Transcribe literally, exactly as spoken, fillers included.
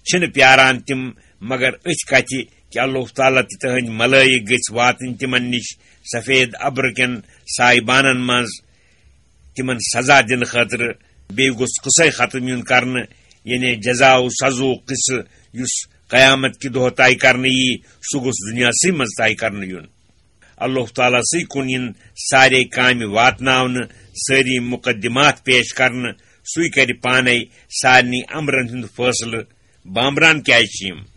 چھِنہٕ پیاران تِم مگر أتھۍ کتھِ کہِ اللہ تعالیٰ تہٕ تِہنٛدۍ ملٲیِک گٔژھۍ واتٕنۍ تِمن نِش سفید ابرٕ کٮ۪ن سایبانن منٛز تِمن سزا دِنہٕ خٲطرٕ۔ بیٚیہِ گوٚژھ قصے ختم یُن کرنہٕ، یعنی جزا و سزو قصہٕ یُس قیامت کہِ دۄہ طے کرنہٕ یی، سُہ گوٚژھ دُنیاہسٕے منٛز طے کرنہٕ یُن۔ اللہ تعالیٰ سٕے کُن یِن سارے کامہِ واتناونہٕ، سٲری مقدمات پیش کرنہٕ، سُے کرِ پانے سارنٕے امرن ہُنٛد فٲصلہٕ۔ بامبران کیازِ چھِ یِم؟